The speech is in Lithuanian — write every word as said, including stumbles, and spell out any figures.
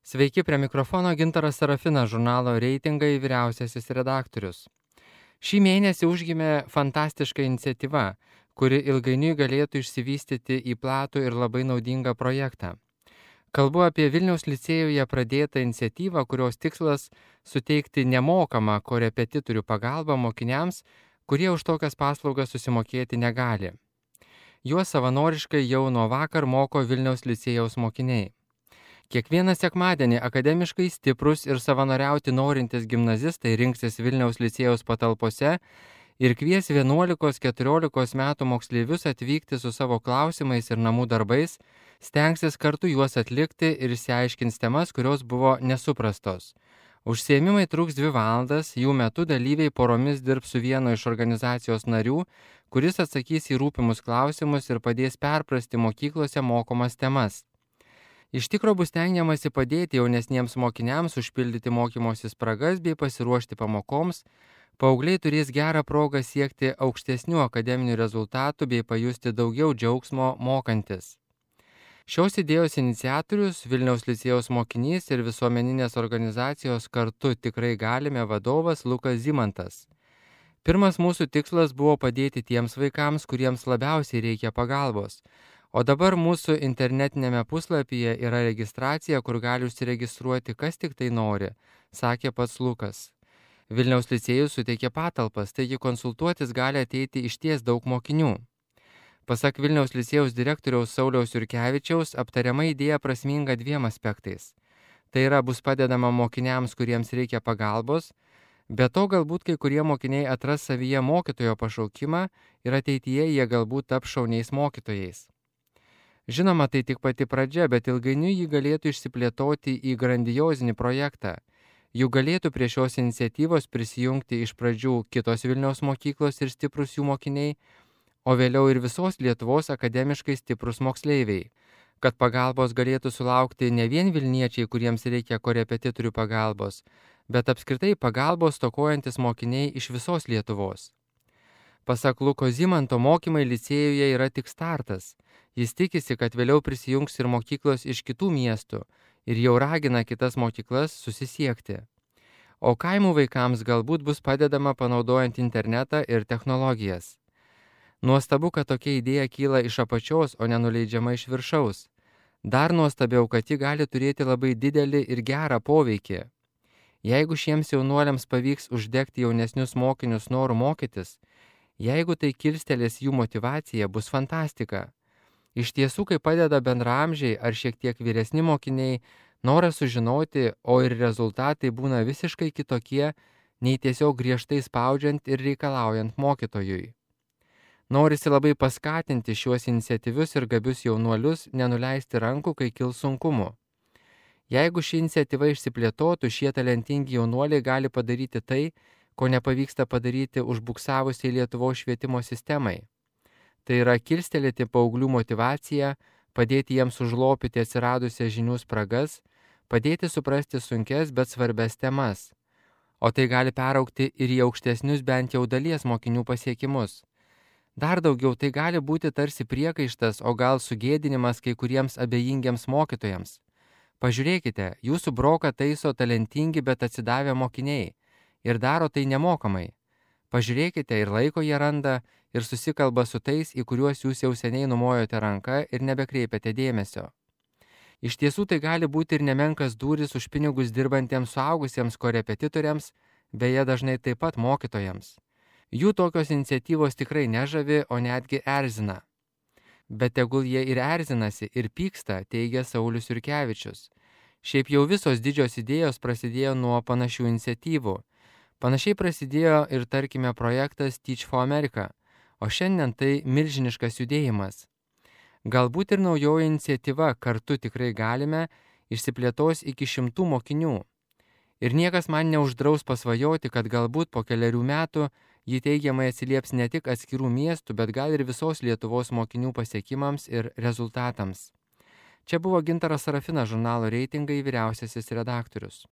Sveiki, prie mikrofono Gintaras Sarafinas, žurnalo Reitingai vyriausiasis redaktorius. Šį mėnesį užgimė fantastiška iniciatyva, kuri ilgainiui galėtų išsivystyti į platų ir labai naudingą projektą. Kalbu apie Vilniaus licėjuje pradėtą iniciatyvą, kurios tikslas suteikti nemokamą korepetitorių pagalbą mokiniams, kurie už tokias paslaugas susimokėti negali. Juos savanoriškai jau nuo vakar moko Vilniaus licėjaus mokiniai. Kiekvieną sekmadienį akademiškai stiprus ir savanoriauti norintys gimnazistai rinksis Vilniaus licėjaus patalpose ir kvies vienuolikos keturiolikos metų moksleivius atvykti su savo klausimais ir namų darbais, stengsis kartu juos atlikti ir išsiaiškins temas, kurios buvo nesuprastos. Užsiėmimai truks dvi valandas, jų metu dalyviai poromis dirbs su vienu iš organizacijos narių, kuris atsakys į rūpimus klausimus ir padės perprasti mokyklose mokomas temas. Iš tikro bus stengiamasi padėti jaunesniems mokiniams užpildyti mokymosi spragas bei pasiruošti pamokoms, paaugliai turės gerą progą siekti aukštesnių akademinių rezultatų bei pajusti daugiau džiaugsmo mokantis. Šios idėjos iniciatorius, Vilniaus licėjaus mokinys ir visuomeninės organizacijos Kartu tikrai galime vadovas Lukas Zimantas. Pirmas mūsų tikslas buvo padėti tiems vaikams, kuriems labiausiai reikia pagalbos. O dabar mūsų internetinėme puslapyje yra registracija, kur gali užsiregistruoti kas tik tai nori, sakė pats Lukas. Vilniaus licėjus suteikė patalpas, taigi konsultuotis gali ateiti išties daug mokinių. Pasak Vilniaus licėjaus direktoriaus Sauliaus Jurkevičiaus, aptariama idėja prasminga dviem aspektais. Tai yra bus padedama mokiniams, kuriems reikia pagalbos, be to galbūt kai kurie mokiniai atras savyje mokytojo pašaukimą ir ateityje jie galbūt taps šauniais mokytojais. Žinoma, tai tik pati pradžia, bet ilgainiui jį galėtų išsiplėtoti į grandiozinį projektą. Jų galėtų prie šios iniciatyvos prisijungti iš pradžių kitos Vilniaus mokyklos ir stiprus jų mokiniai, o vėliau ir visos Lietuvos akademiškai stiprus moksleiviai, kad pagalbos galėtų sulaukti ne vien vilniečiai, kuriems reikia korepetitorių pagalbos, bet apskritai pagalbos stokojantis mokiniai iš visos Lietuvos. Pasak Luko Zimanto, mokymai licėjuje yra tik startas. Jis tikisi, kad vėliau prisijungs ir mokyklos iš kitų miestų ir jau ragina kitas mokyklas susisiekti. O kaimų vaikams galbūt bus padedama panaudojant internetą ir technologijas. Nuostabu, kad tokia idėja kyla iš apačios, o nenuleidžiama iš viršaus. Dar nuostabiau, kad ji gali turėti labai didelį ir gerą poveikį. Jeigu šiems jaunuoliams pavyks uždegti jaunesnius mokinius noru mokytis, jeigu tai kilstelės jų motyvacija, bus fantastika. Iš tiesų, kai padeda bendraamžiai ar šiek tiek vyresni mokiniai, noras sužinoti, o ir rezultatai būna visiškai kitokie, nei tiesiog griežtai spaudžiant ir reikalaujant mokytojui. Norisi labai paskatinti šiuos iniciatyvius ir gabius jaunuolius nenuleisti rankų, kai kils sunkumų. Jeigu ši iniciatyva išsiplėtotų, šie talentingi jaunuoliai gali padaryti tai, ko nepavyksta padaryti užbuksavusiai Lietuvos švietimo sistemai. Tai yra kilstelėti paauglių motyvaciją, padėti jiems užlopyti atsiradusias žinių spragas, padėti suprasti sunkes, bet svarbes temas. O tai gali peraugti ir į aukštesnius bent jau dalies mokinių pasiekimus. Dar daugiau tai gali būti tarsi priekaištas, o gal sugėdinimas kai kuriems abejingiems mokytojams. Pažiūrėkite, jūsų broką taiso talentingi, bet atsidavę mokiniai ir daro tai nemokamai. Pažiūrėkite, ir laiko jie randa, ir susikalba su tais, į kuriuos jūs jau seniai numojote ranką ir nebekreipiate dėmesio. Iš tiesų tai gali būti ir nemenkas dūris už pinigus dirbantiems suaugusiems korepetitoriams, beje dažnai taip pat mokytojams. Jų tokios iniciatyvos tikrai nežavi, o netgi erzina. Bet tegul jie ir erzinasi, ir pyksta, teigia Saulius Jurkevičius. Šiaip jau visos didžios idėjos prasidėjo nuo panašių iniciatyvų. Panašiai prasidėjo ir, tarkime, projektas Teach for America, o šiandien tai milžiniškas judėjimas. Galbūt ir naujoji iniciatyva Kartu tikrai galime išsiplėtos iki šimtų mokinių. Ir niekas man neuždraus pasvajoti, kad galbūt po keliarių metų ji teigiamai atsilieps ne tik atskirų miestų, bet gal ir visos Lietuvos mokinių pasiekimams ir rezultatams. Čia buvo Gintaras Sarafinas, žurnalo Reitingai vyriausiasis redaktorius.